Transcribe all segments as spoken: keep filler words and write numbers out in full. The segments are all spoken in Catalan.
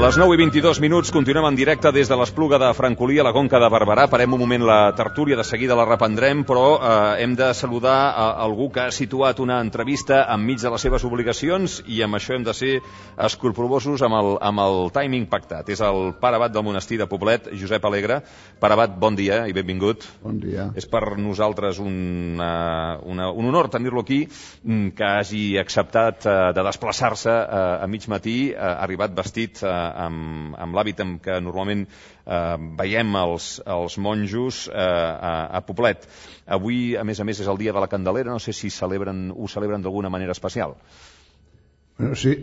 Les nou i vint-i-dos minuts, continuem en directe des de l'Espluga de Francolí a la Conca de Barberà. Parem un moment la tertúlia, de seguida la reprendrem, però eh, hem de saludar a algú que ha situat una entrevista enmig de les seves obligacions i amb això hem de ser escrupolosos amb el, amb el timing pactat. És el pare abat del monestir de Poblet, Josep Alegre. Pare abat, bon dia i benvingut. Bon dia. És per nosaltres una, una, un honor tenir-lo aquí, que hagi acceptat eh, de desplaçar-se eh, a mig matí, eh, ha arribat vestit eh, amb, amb l'hàbit amb què normalment eh, veiem els, els monjos eh, a, a Poblet. Avui, a més a més, és el dia de la Candelera, no sé si celebren, ho celebren d'alguna manera especial. Bueno, sí,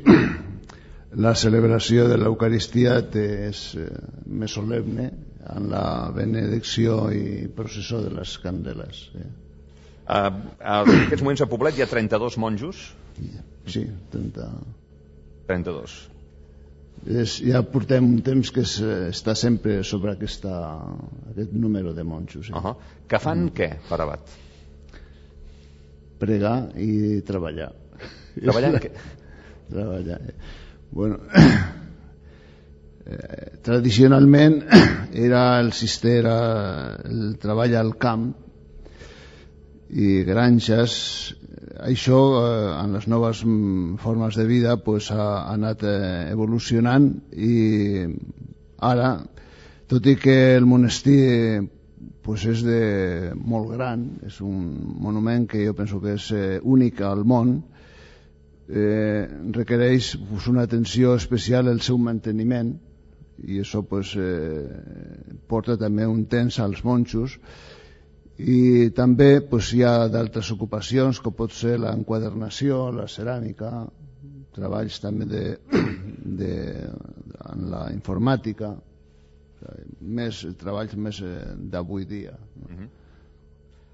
la celebració de l'Eucaristia és eh, més solemne en la benedicció i processó de les candeles. Eh. Uh, en aquests moments a Poblet hi ha trenta-dos monjos? Sí, trenta... trenta-dos. És, ja portem un temps que es, està sempre sobre aquesta, aquest número de monjos. Eh? Uh -huh. Que fan mm. què, pare abat? Pregar i treballar. Treballar en què? Treballar. Bueno, eh, tradicionalment era el cister, el treball al camp i granges. Això eh, en les noves formes de vida pues, ha, ha anat eh, evolucionant i ara, tot i que el monestir pues, és de molt gran, és un monument que jo penso que és eh, únic al món, eh, requereix pues, una atenció especial al seu manteniment i això pues, eh, porta també un temps als monjos. I també pues, hi ha d'altres ocupacions com pot ser l'enquadernació, la ceràmica, treballs també de, de, en la informàtica, més treballs més d'avui dia. Uh-huh.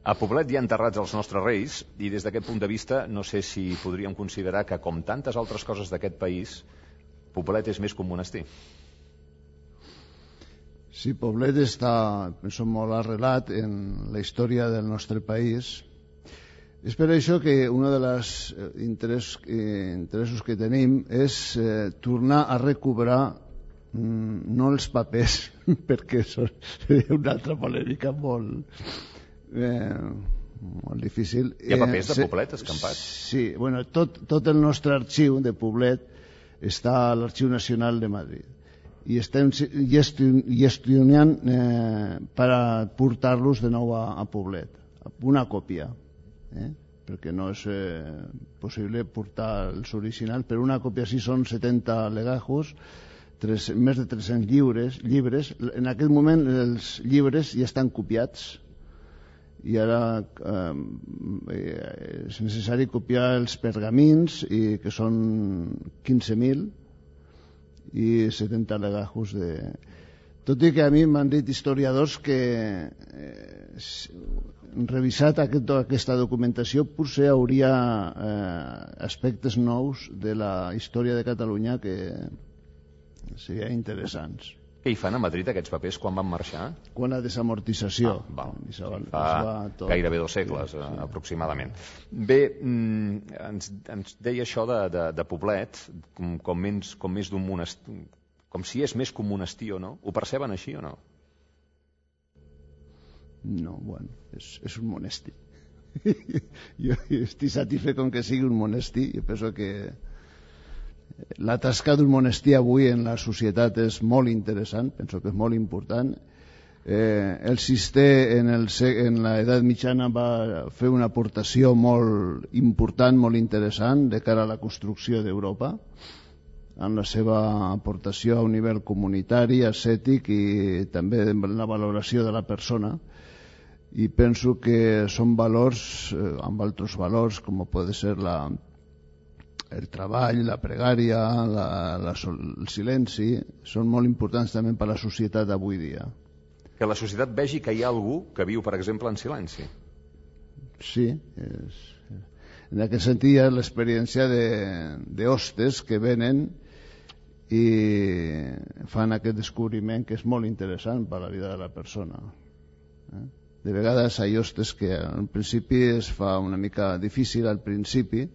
A Poblet hi ha enterrats els nostres reis i des d'aquest punt de vista no sé si podríem considerar que com tantes altres coses d'aquest país Poblet és més que un monestir. Sí, Poblet està, penso, molt arrelat en la història del nostre país. És per això que un dels interès, eh, interessos que tenim és eh, tornar a recuperar mm, no els papers, perquè això seria una altra polèmica molt, eh, molt difícil. Hi ha papers de Poblet escampats? Sí, bueno, tot, tot el nostre arxiu de Poblet està a l'Arxiu Nacional de Madrid. I estem gestionant eh, per a portar-los de nou a, a Poblet, una còpia, eh? perquè no és eh, possible portar els originals, però una còpia sí són setanta legajos, tres, més de tres-cents llibres, llibres. En aquest moment els llibres ja estan copiats i ara eh, és necessari copiar els pergamins, i, que són quinze mil, i setanta legajos de... Tot i que a mi m'han dit historiadors que eh, revisat aquest, aquesta documentació potser hauria eh, aspectes nous de la història de Catalunya que serien interessants. Què hi fan a Madrid aquests papers quan van marxar? Quan la desamortització. Ah, val. Sí, va, fa gairebé dos segles, sí, sí. aproximadament. Bé, ens, ens deia això de, de, de Poblet, com, com, menys, com més d'un monestir, com si és més que un monestir o no. Ho perceben així o no? No, bueno, és, és un monestir. Jo estic satisfet com que sigui un monestir. Jo penso que la tasca d'un monestir avui en la societat és molt interessant, penso que és molt important. Eh, el cister en, el, en l'edat mitjana va fer una aportació molt important, molt interessant de cara a la construcció d'Europa, amb la seva aportació a un nivell comunitari, ascètic i també en la valoració de la persona. I penso que són valors, eh, amb altres valors, com pot ser la el treball, la pregària, la, la, el silenci, són molt importants també per a la societat d'avui dia. Que la societat vegi que hi ha algú que viu, per exemple, en silenci. Sí, és, en aquest sentit hi ha l'experiència d'hostes que venen i fan aquest descobriment que és molt interessant per a la vida de la persona. Eh? De vegades hi ha hostes que al principi es fa una mica difícil al principi,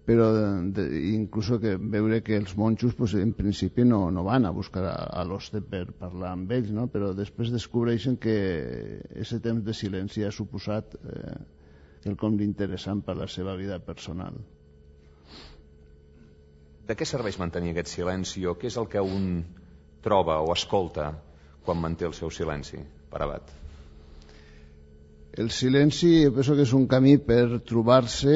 però de, inclús que veure que els monjos pues, en principi no, no van a buscar a, a l'hoste per parlar amb ells, no? Però després descobreixen que aquest temps de silenci ha suposat eh, quelcom d'interessant per la seva vida personal. De què serveix mantenir aquest silenci o què és el que un troba o escolta quan manté el seu silenci, Pare Abat? El silenci jo penso que és un camí per trobar-se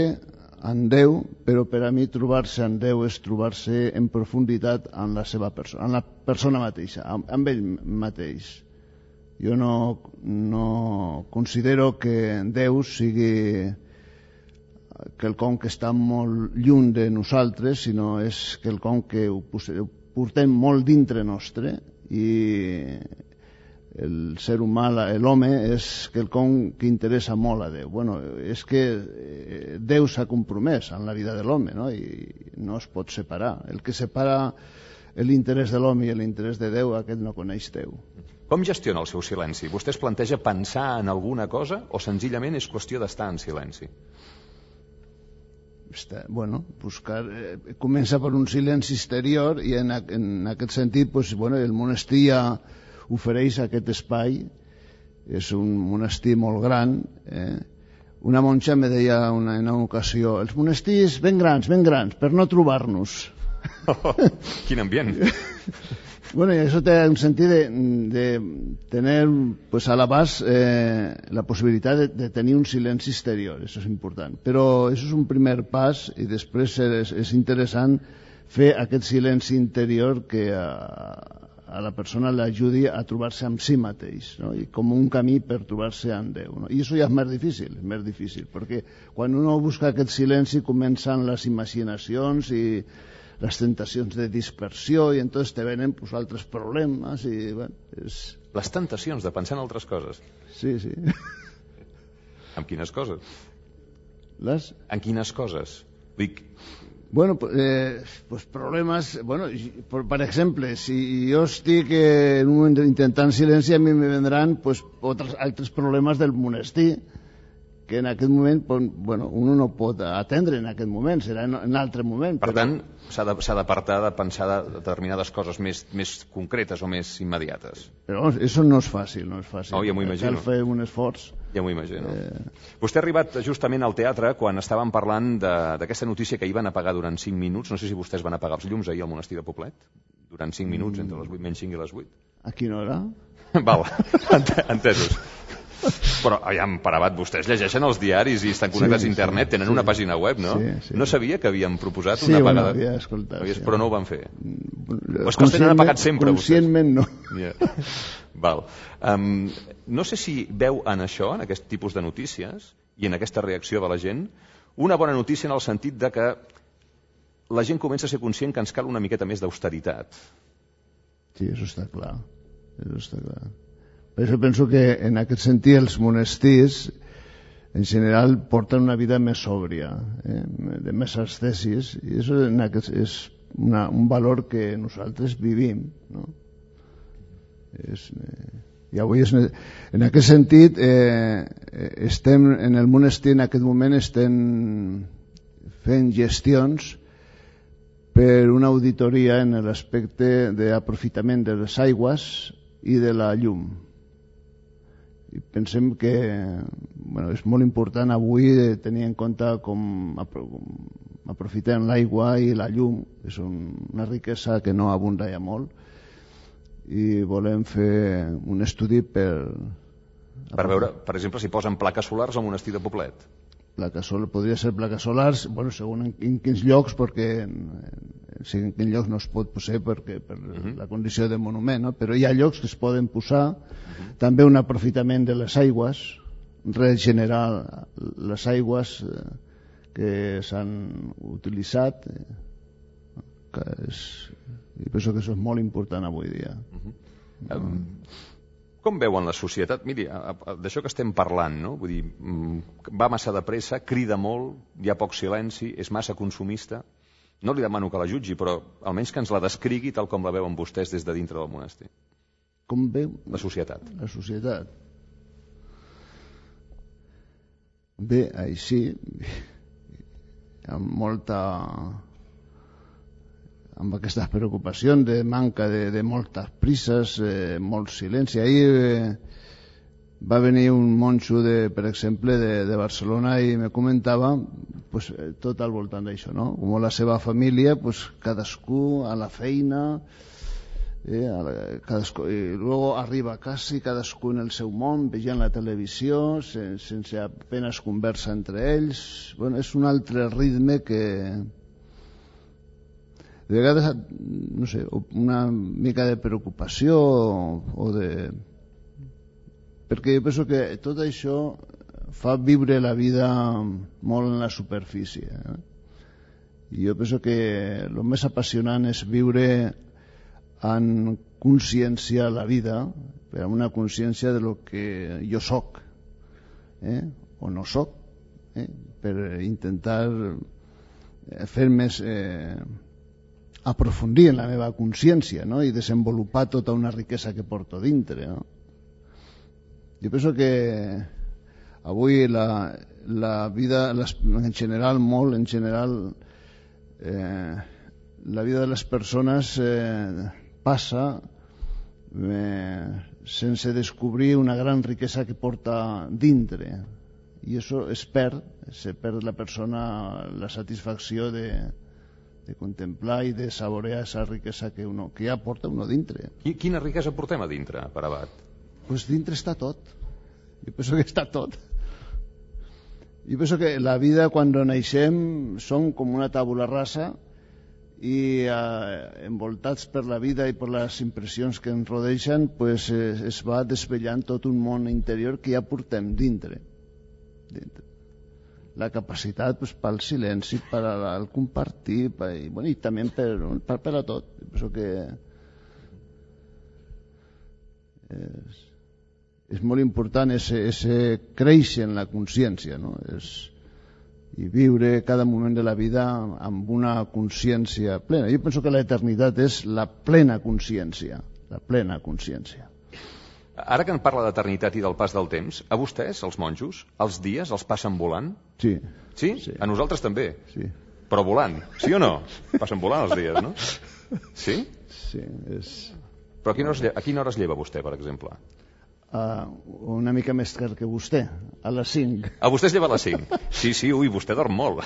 en Déu, però per a mi trobar-se en Déu és trobar-se en profunditat en la seva persona, en la persona mateixa, amb, amb ell mateix. Jo no, no considero que Déu sigui quelcom que està molt lluny de nosaltres, sinó és quelcom que ho portem molt dintre nostre i el ser humà, l'home, és quelcom que interessa molt a Déu. Bueno, és que Déu s'ha compromès en la vida de l'home, no? I no es pot separar. El que separa l'interès de l'home i l'interès de Déu, aquest no coneix Déu. Com gestiona el seu silenci? Vostè es planteja pensar en alguna cosa o senzillament és qüestió d'estar en silenci? Està, bueno, buscar, eh, comença per un silenci exterior i en, en aquest sentit pues, bueno, el monestir ja ofereix aquest espai. És un monestir molt gran. Eh? Una monja me deia una, en una ocasió, els monestirs ben grans, ben grans, per no trobar-nos. Oh, quin ambient! Bueno, y eso te da un sentido de, de tener pues a l'abast eh, la possibilitat de, de tenir un silenci exterior, eso és important. Però això és un primer pas i després és, és interessant fer aquest silenci interior que a, a la persona l'ajudi a trobar-se amb si mateix, no? I com un camí per trobar-se amb Déu, no? I això ja és més difícil, és més difícil, perquè quan uno busca aquest silenci comencen les imaginacions i les tentacions de dispersió i entonces te venen pues, altres problemes i, bueno, és... Les tentacions de pensar en altres coses? Sí, sí. En quines coses? Les? En quines coses? Dic... Bueno, eh, pues problemes... Bueno, per, per exemple, si jo estic en un moment intentant silenci, a mi me vendran pues, altres, altres problemes del monestir que en aquest moment bueno, uno no pot atendre en aquest moment, serà en un altre moment. Per però... tant, s'ha d'apartar de, de pensar de determinades coses més, més concretes o més immediates. Però això no és fàcil, no és fàcil. Oh, ja m'ho imagino. Cal fer un esforç. Ja m'ho imagino. Eh... Vostè ha arribat justament al teatre quan estàvem parlant d'aquesta notícia que hi van apagar durant cinc minuts. No sé si vostès van apagar els llums ahir al monestir de Poblet, durant cinc minuts, mm. entre les vuit menys cinc i les vuit. A quina hora? Val, entesos. Però, aviam, Pare Abat, vostès llegeixen els diaris i estan connectats sí, a internet, tenen sí, una pàgina web, no? Sí, sí. No sabia que havien proposat sí, una apagada? Sí, bueno, havia escoltat. Havies, sí. Però no ho van fer? O és que els tenen apagat sempre, conscientment vostès? Conscientment no. Yeah. Val. Um, no sé si veu en això, en aquest tipus de notícies, i en aquesta reacció de la gent, una bona notícia en el sentit de que la gent comença a ser conscient que ens cal una miqueta més d'austeritat. Sí, això està clar. Això està clar. Per això penso que en aquest sentit els monestirs en general porten una vida més sòbria, eh? de més ascesis, i això en aquest, és una, un valor que nosaltres vivim, no? És, eh, i avui és, en aquest sentit eh, estem en el monestir en aquest moment estem fent gestions per una auditoria en l'aspecte d'aprofitament de les aigües i de la llum. I pensem que bueno, és molt important avui tenir en compte com aprofitem l'aigua i la llum, que és una riquesa que no abunda ja molt, i volem fer un estudi per... Per veure, per exemple, si posen plaques solars al monestir de Poblet. Plaques solars, podria ser plaques solars, bueno, segons en, en quins llocs, perquè en, en quins llocs no es pot posar perquè, per uh -huh. la condició de monument, no? Però hi ha llocs que es poden posar, uh -huh. també un aprofitament de les aigües, regenerar les aigües eh, que s'han utilitzat, eh, que és, i penso que això és molt important avui dia. Uh -huh. um... Com veuen la societat? Miri, d'això que estem parlant, no? Vull dir, va massa de pressa, crida molt, hi ha poc silenci, és massa consumista. No li demano que la jutgi, però almenys que ens la descrigui tal com la veuen vostès des de dintre del monestir. Com veu? La societat. La societat. Bé, així... amb molta amb aquestes preocupacions de manca de, de moltes prises, eh, molt silenci. Ahir eh, va venir un monjo, de, per exemple, de, de Barcelona i me comentava pues, tot al voltant d'això, no? Com la seva família, pues, cadascú a la feina, eh, a la, cadascú, i luego arriba a casa i cadascú en el seu món, veient la televisió, sen, sense apenas conversa entre ells. Bueno, és un altre ritme que de vegades, no sé, una mica de preocupació o, o de... perquè jo penso que tot això fa viure la vida molt en la superfície, eh? I jo penso que el més apassionant és viure en consciència la vida, però amb una consciència de lo que jo soc, eh? o no soc, eh? per intentar fer més... Eh, aprofundir en la meva consciència, no? I desenvolupar tota una riquesa que porto dintre, no? Jo penso que avui la, la vida les, en general, molt en general, eh, la vida de les persones eh, passa eh, sense descobrir una gran riquesa que porta dintre, i això es perd, se perd la persona la satisfacció de de contemplar i de saborear esa riquesa que, uno, que ja porta uno dintre. Quina riquesa portem a dintre, per Abat? Pues dintre està tot. Jo penso que està tot. Jo penso que la vida, quan naixem, som com una tàbula rasa i eh, envoltats per la vida i per les impressions que ens rodeixen, pues, es, es va desvetllant tot un món interior que ja portem dintre. dintre. La capacitat pues, pel silenci, per al compartir, per, i, bueno, i també per, per, per a tot. Penso que és, és molt important ese, ese créixer en la consciència, no? És, i viure cada moment de la vida amb una consciència plena. Jo penso que l'eternitat és la plena consciència, la plena consciència. Ara que en parla d'eternitat i del pas del temps, a vostès, els monjos, els dies els passen volant? Sí. Sí? Sí. A nosaltres també? Sí. Però volant, sí o no? Passen volant els dies, no? Sí? Sí, és... Però a quina hora es lleva, a quina hora es lleva vostè, per exemple? Uh, una mica més tard que vostè, a les cinc. A vostè es lleva a les cinc? Sí, sí, ui, vostè dorm molt.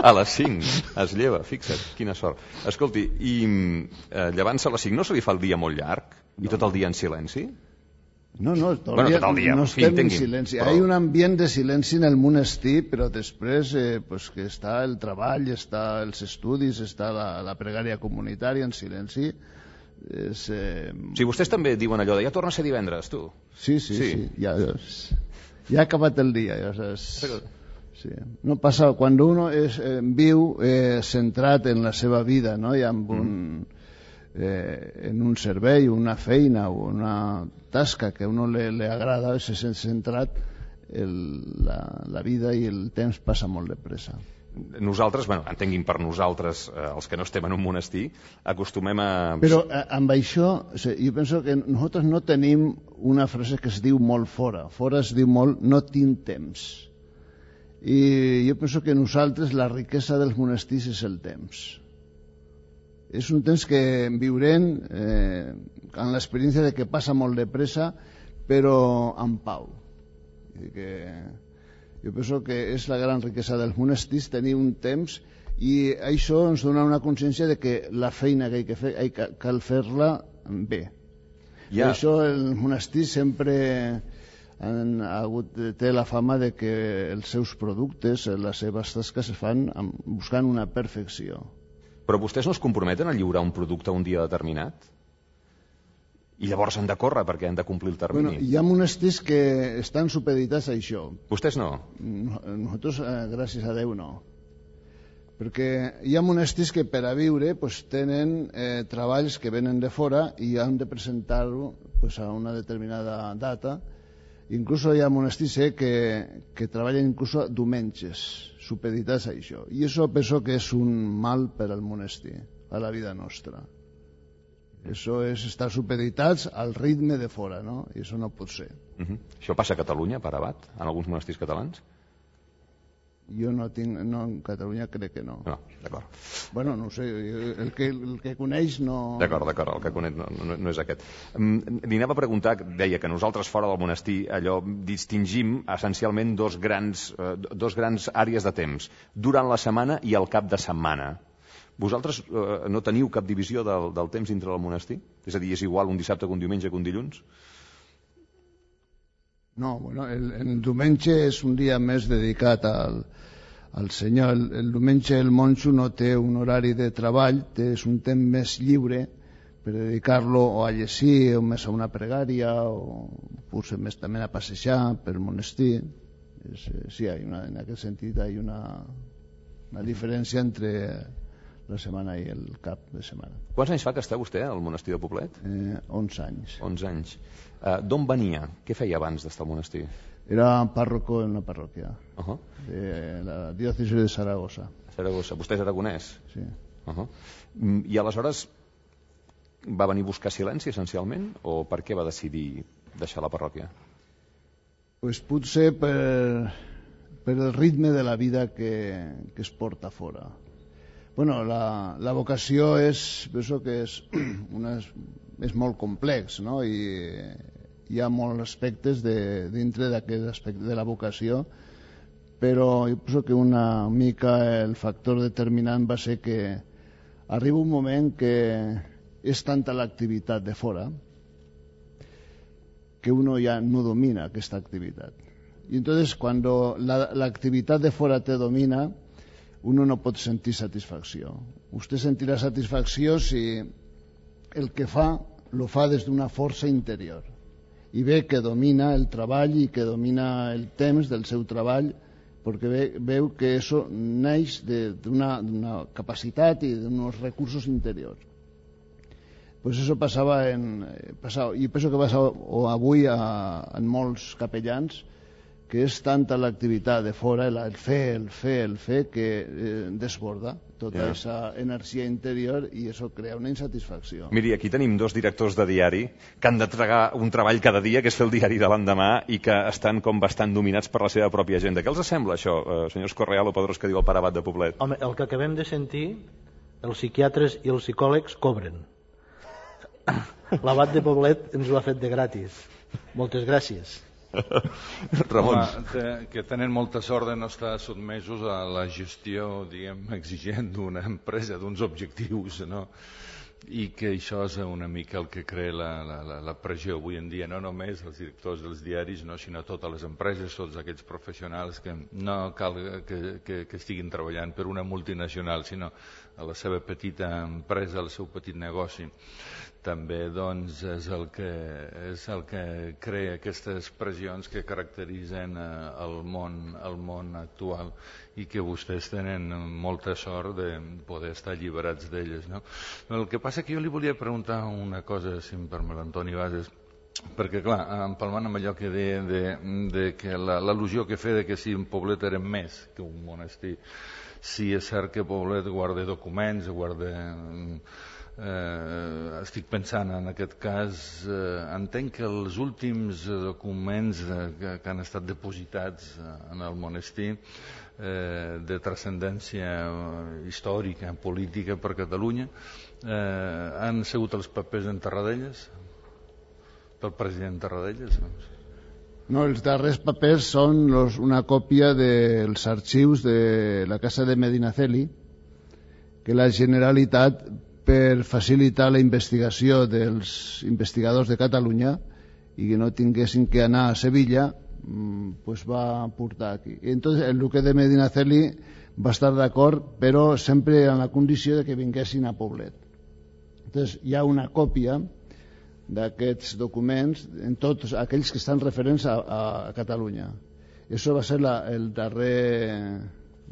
A les cinc es lleva, fixa't, quina sort. Escolti, i eh, llevant-se a les cinc no se li fa el dia molt llarg? I tot el dia en silenci? No, no, tot, bueno, dia, tot el dia, no fi, estem entenguin, en silenci. però... Hi ha un ambient de silenci en el monestir, però després eh, pues que està el treball, està els estudis, està la, la pregària comunitària en silenci. És, eh... Sí, vostès també diuen allò de ja torna a ser divendres, tu. Sí, sí, sí. sí. Ja, ja ha acabat el dia. Ja saps. Però... Sí. No passa, quan uno és, eh, viu eh, centrat en la seva vida, no? I amb un... Mm. Eh, en un servei, una feina o una tasca que a uno le, le agrada, se sent centrat, el, la, la vida i el temps passa molt de pressa. Nosaltres, bueno, entenguin per nosaltres, eh, els que no estem en un monestir, acostumem a... Però eh, amb això, o sigui, jo penso que nosaltres no tenim una frase que es diu molt fora. Fora es diu molt no tinc temps. I jo penso que nosaltres la riquesa dels monestirs és el temps. És un temps que viurem eh, amb l'experiència de que passa molt de pressa, però amb pau. Que jo penso que és la gran riquesa dels monestirs, tenir un temps, i això ens dona una consciència de que la feina que, hay que fer, hay que, cal fer-la bé. Ja. Per això el monestir sempre han hagut, té la fama de que els seus productes, les seves tasques es fan buscant una perfecció. Però vostès no es comprometen a lliurar un producte un dia determinat? I llavors han de córrer perquè han de complir el termini. Bueno, hi ha monestirs que estan supeditats a això. Vostès no? Nosaltres, eh, gràcies a Déu, no. Perquè hi ha monestirs que per a viure pues, tenen eh, treballs que venen de fora i han de presentar-ho pues, a una determinada data. Inclús hi ha monestirs eh, que, que treballen inclús diumenges, supeditats a això. I això penso que és un mal per al monestir, a la vida nostra. Això és estar supeditats al ritme de fora, no? I això no pot ser. Uh-huh. Això passa a Catalunya, per Abat, en alguns monestirs catalans? Jo no tinc, no, en Catalunya crec que no. No, d'acord. Bueno, no ho sé, el que, el que coneix no... D'acord, d'acord, el que coneix no, no, no és aquest. Li anava a preguntar, deia que nosaltres fora del monestir allò distingim essencialment dos grans, eh, dos grans àrees de temps, durant la setmana i al cap de setmana. Vosaltres eh, no teniu cap divisió del, del temps dintre del monestir? És a dir, és igual un dissabte que un diumenge que un dilluns? No, bueno, el, el diumenge és un dia més dedicat al, al Senyor. El, el diumenge el monjo no té un horari de treball, té, és un temps més lliure per dedicar-lo o a llegir, o més a una pregària, o potser més també a passejar per monestir. És, sí, hay una, en aquest sentit hi ha una, una diferència entre la setmana i el cap de setmana. Quants anys fa que està vostè al monestir de Poblet? Eh, onze anys. onze anys. Uh, D'on venia? Què feia abans d'estar al monestir? Era párroco en una parròquia Uh -huh. de la diòcesi de Saragossa. Saragossa. Vostè és aragonès? Sí. Uh -huh. I aleshores va venir a buscar silenci essencialment o per què va decidir deixar la parròquia? Pues potser per, per el ritme de la vida que, que es porta fora. Bueno, la, la vocació és, penso que és, una, és molt complex, no? I hi ha molts aspectes de, dintre d'aquest aspecte de la vocació, però jo penso que una mica el factor determinant va ser que arriba un moment que és tanta l'activitat de fora que uno ya no domina aquesta activitat. Y entonces cuando la, la activitat de fora te domina, uno no pot sentir satisfacció. Usted sentirà satisfacció si el que fa lo fa des d'una força interior i ve que domina el treball i que domina el temps del seu treball, perquè ve, veu que això neix d'una capacitat i d'uns recursos interiors. Pues eso passava en, passava, i penso que passa avui a, en molts capellans, que és tanta l'activitat de fora, el fer, el fer, el fer, que eh, desborda tota aquesta yeah. energia interior i això crea una insatisfacció. Miri, aquí tenim dos directors de diari que han de tragar un treball cada dia, que és fer el diari de l'endemà, i que estan com bastant dominats per la seva pròpia agenda. Què els sembla això, eh, senyors Correal o Pedrós, que diu el pare abat de Poblet? Home, el que acabem de sentir, els psiquiatres i els psicòlegs cobren. L'abat de Poblet ens ho ha fet de gratis. Moltes gràcies. Ramon. Home, que tenen molta sort de no estar sotmesos a la gestió, diguem, exigent d'una empresa, d'uns objectius, no? I que això és una mica el que crea la, la, la pressió avui en dia, no només els directors dels diaris, no, sinó totes les empreses, tots aquests professionals que no cal que, que, que estiguin treballant per una multinacional, sinó a la seva petita empresa, al seu petit negoci. També doncs, és, el que, és el que crea aquestes pressions que caracteritzen eh, el, món, el món actual i que vostès tenen molta sort de poder estar alliberats d'elles. No? El que passa que jo li volia preguntar una cosa, si em permet, l'Antoni Bases, perquè clar, empalmant amb allò que deia de, de que l'al·lusió que feia de que si un Poblet era més que un monestir, si és cert que Poblet guarda documents, guarda... Eh, estic pensant en aquest cas, eh, entenc que els últims documents eh, que, que han estat depositats eh, en el monestir eh, de transcendència històrica, política per Catalunya, eh, han sigut els papers en Tarradellas, del president Tarradellas. No, els darrers papers són los, una còpia dels arxius de la Casa de Medinaceli, que la Generalitat, per facilitar la investigació dels investigadors de Catalunya i que no tinguessin que anar a Sevilla, pues va portar aquí. I entonces el duque de Medinaceli va estar d'acord, però sempre en la condició de que vinguessin a Poblet. Entonces hi ha una còpia d'aquests documents en tots aquells que estan referents a, a Catalunya. Això va ser la, el darrer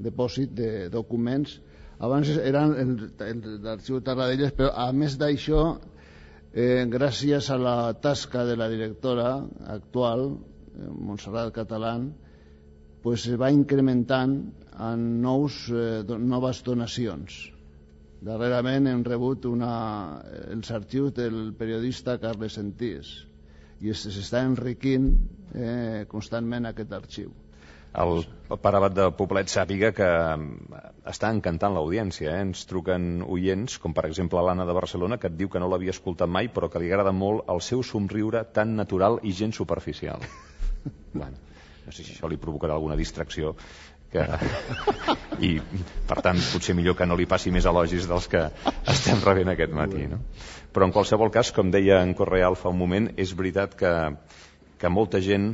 depòsit de documents. Abans eren l'arxiu de Tarradellas, però a més d'això, eh, gràcies a la tasca de la directora actual, eh, Montserrat Catalán, pues se va incrementant en nous, eh, noves donacions. Darrerament hem rebut una, els arxius del periodista Carles Sentís i s'està enriquint eh, constantment aquest arxiu. el pare Abat de Poblet sàpiga que està encantant l'audiència. Eh? Ens truquen oients, com per exemple l'Anna de Barcelona, que et diu que no l'havia escoltat mai, però que li agrada molt el seu somriure tan natural i gens superficial. Bueno, no sé si això li provocarà alguna distracció. Que... I, per tant, potser millor que no li passi més elogis dels que estem rebent aquest matí. No? Però en qualsevol cas, com deia en Correal fa un moment, és veritat que, que molta gent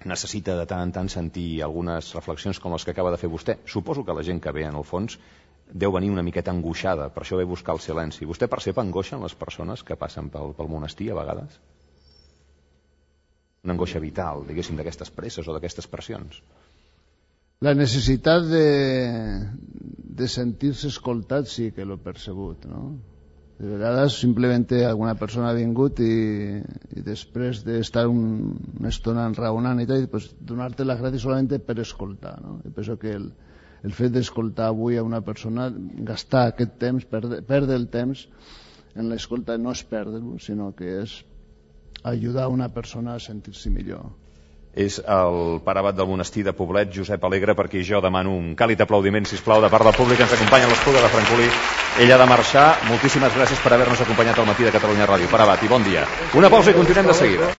necessita de tant en tant sentir algunes reflexions com les que acaba de fer vostè. Suposo que la gent que ve, en el fons, deu venir una miqueta angoixada, per això ve buscar el silenci. Vostè percep angoixa en les persones que passen pel, pel monestir a vegades? Una angoixa vital, diguéssim, d'aquestes presses o d'aquestes pressions. La necessitat de, de sentir-se escoltat sí que l'he percebut, no? De vegades simplement alguna persona ha vingut i, i després d'estar un, una estona enraonant i tal, pues, donar-te les gràcies solament per escoltar, no? I penso que el, el fet d'escoltar avui a una persona, gastar aquest temps, perdre, perdre el temps en l'escolta no és perdre-lo, sinó que és ajudar una persona a sentir-se millor. És el pare Abat del monestir de Poblet, Josep Alegre, perquè jo demano un càlid aplaudiment, sisplau, de part del públic que ens acompanya a l'Espluga de Francolí. Ell ha de marxar. Moltíssimes gràcies per haver-nos acompanyat al matí de Catalunya Ràdio. Pare Abat, i bon dia. Una pausa i continuem de seguida.